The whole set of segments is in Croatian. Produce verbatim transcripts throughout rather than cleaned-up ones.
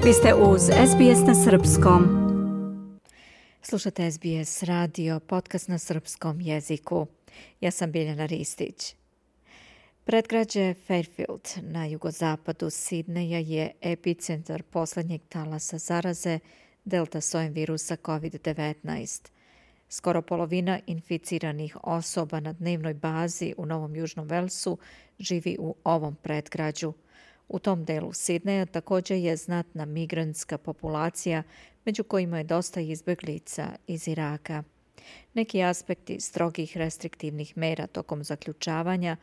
Vi ste uz S B S na srpskom. Slušate S B S radio, podcast na srpskom jeziku. Ja sam Biljana Ristić. Predgrađe Fairfield na jugozapadu Sidneja je epicentar posljednjeg talasa zaraze delta sojem virusa covid devetnaest. Skoro polovina inficiranih osoba na dnevnoj bazi u Novom Južnom Velsu živi u ovom predgrađu. U tom delu Sidneja također je znatna migrantska populacija, među kojima je dosta izbjeglica iz Iraka. Neki aspekti strogih restriktivnih mera tokom zaključavanja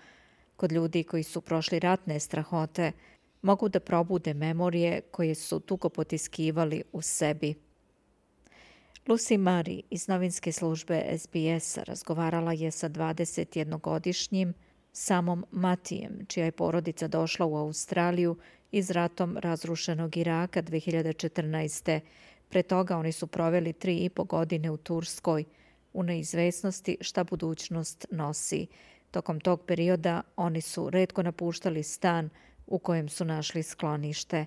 kod ljudi koji su prošli ratne strahote mogu da probude memorije koje su dugo potiskivali u sebi. Lucy Murray iz novinske službe S B S-a razgovarala je sa dvadesetjednogodišnjim Samom Matijem, čija je porodica došla u Australiju iz ratom razrušenog Iraka dvije hiljade četrnaeste. Pre toga oni su proveli tri i po godine u Turskoj, u neizvesnosti šta budućnost nosi. Tokom tog perioda oni su retko napuštali stan u kojem su našli sklonište.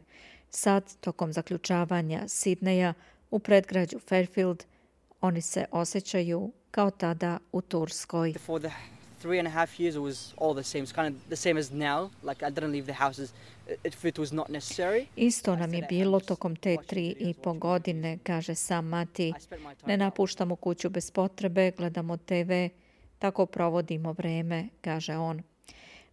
Sad, tokom zaključavanja Sidneja u predgrađu Fairfield, oni se osjećaju kao tada u Turskoj. Three and a half years it was all the same. It's kind of the same as now. Like I didn't leave the houses if it was not necessary. Isto nam je bilo tokom te tri i po godine, kaže Sam Mati. Ne napuštamo kuću bez potrebe, gledamo te ve, tako provodimo vreme, kaže on.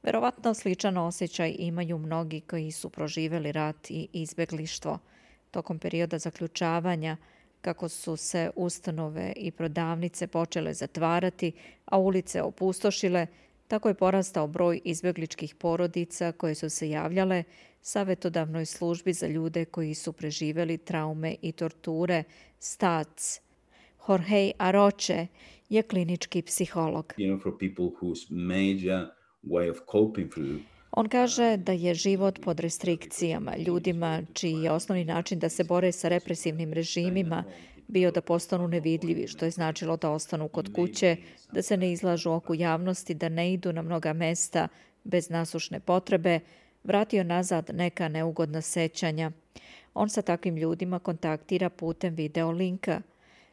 Verovatno sličan osjećaj imaju mnogi koji su proživjeli rat i izbjeglištvo. Tokom perioda zaključavanja, kako su se ustanove i prodavnice počele zatvarati, a ulice opustošile, tako je porastao broj izbjegličkih porodica koje su se javljale savjetodavnoj službi za ljude koji su preživjeli traume i torture, S T A C. Jorge Aroche je klinički psiholog. You know, for people whose major way of coping through On kaže da je život pod restrikcijama ljudima čiji je osnovni način da se bore sa represivnim režimima bio da postanu nevidljivi, što je značilo da ostanu kod kuće, da se ne izlažu oku javnosti, da ne idu na mnoga mesta bez nasušne potrebe, vratio nazad neka neugodna sećanja. On sa takvim ljudima kontaktira putem video linka.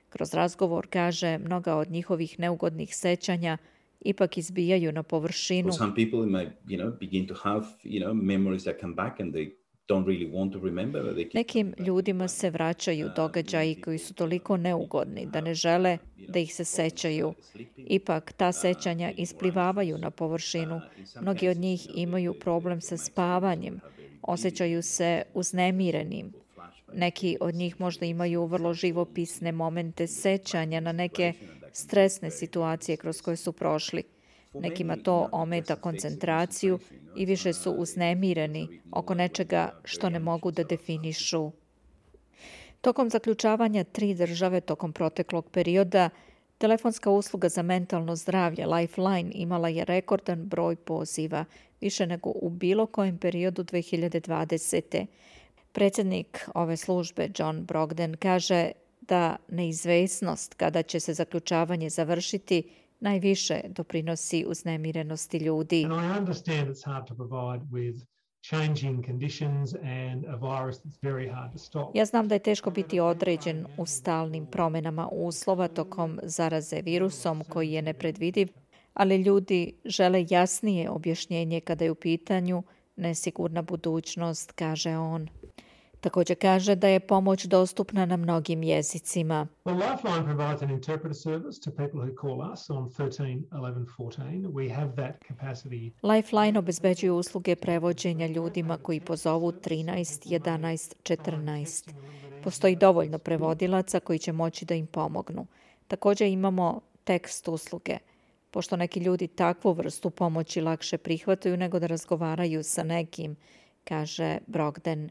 Kroz razgovor, kaže, mnoga od njihovih neugodnih sećanja ipak izbijaju na površinu. For some people it might, you know, begin to have, you know, memories that come back and they don't really want to remember. But they Nekim ljudima se vraćaju događaji koji su toliko neugodni da ne žele da ih se sećaju. Ipak ta sećanja isplivavaju na površinu. Mnogi od njih imaju problem sa spavanjem, osjećaju se uznemirenim. Neki od njih možda imaju vrlo živopisne momente sećanja na neke stresne situacije kroz koje su prošli. Nekima to ometa koncentraciju i više su uznemireni oko nečega što ne mogu da definišu. Tokom zaključavanja tri države tokom proteklog perioda, telefonska usluga za mentalno zdravlje Lifeline imala je rekordan broj poziva, više nego u bilo kojem periodu dvije hiljade dvadesete. Predsjednik ove službe John Brogden kaže da neizvesnost kada će se zaključavanje završiti najviše doprinosi uznemirenosti ljudi. And I understand it's hard to provide with changing conditions and a virus that's very hard to stop. Ja znam da je teško biti određen u stalnim promjenama uslova tokom zaraze virusom koji je nepredvidiv, ali ljudi žele jasnije objašnjenje kada je u pitanju nesigurna budućnost, kaže on. Također kaže da je pomoć dostupna na mnogim jezicima. Well, Lifeline provides an interpreter service to people who call us on thirteen eleven fourteen. We have that capacity. Lifeline obezbeđuje usluge prevođenja ljudima koji pozovu trinaest jedanaest četrnaest. Postoji dovoljno prevodilaca koji će moći da im pomognu. Također imamo tekst usluge, pošto neki ljudi takvu vrstu pomoći lakše prihvataju nego da razgovaraju sa nekim, kaže Brogden.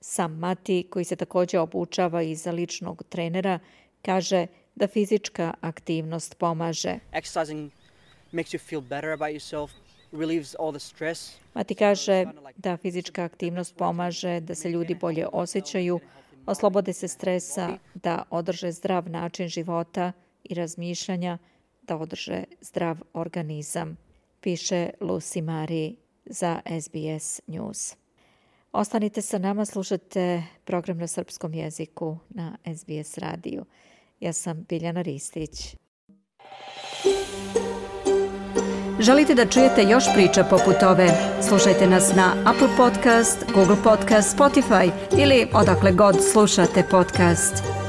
Sam Mati, koji se također obučava i za ličnog trenera, kaže da fizička aktivnost pomaže. Exercising makes you feel better about yourself, relieves all the stress. Mati kaže da fizička aktivnost pomaže da se ljudi bolje osjećaju, oslobode se stresa, da održe zdrav način života i razmišljanja, da održe zdrav organizam, piše Lucy Murray za S B S News. Ostanite sa nama, slušate program na srpskom jeziku na S B S radiju. Ja sam Biljana Ristić. Želite da čujete još priča poput ove? Slušajte nas na Apple Podcast, Google Podcast, Spotify ili odakle god slušate podcast.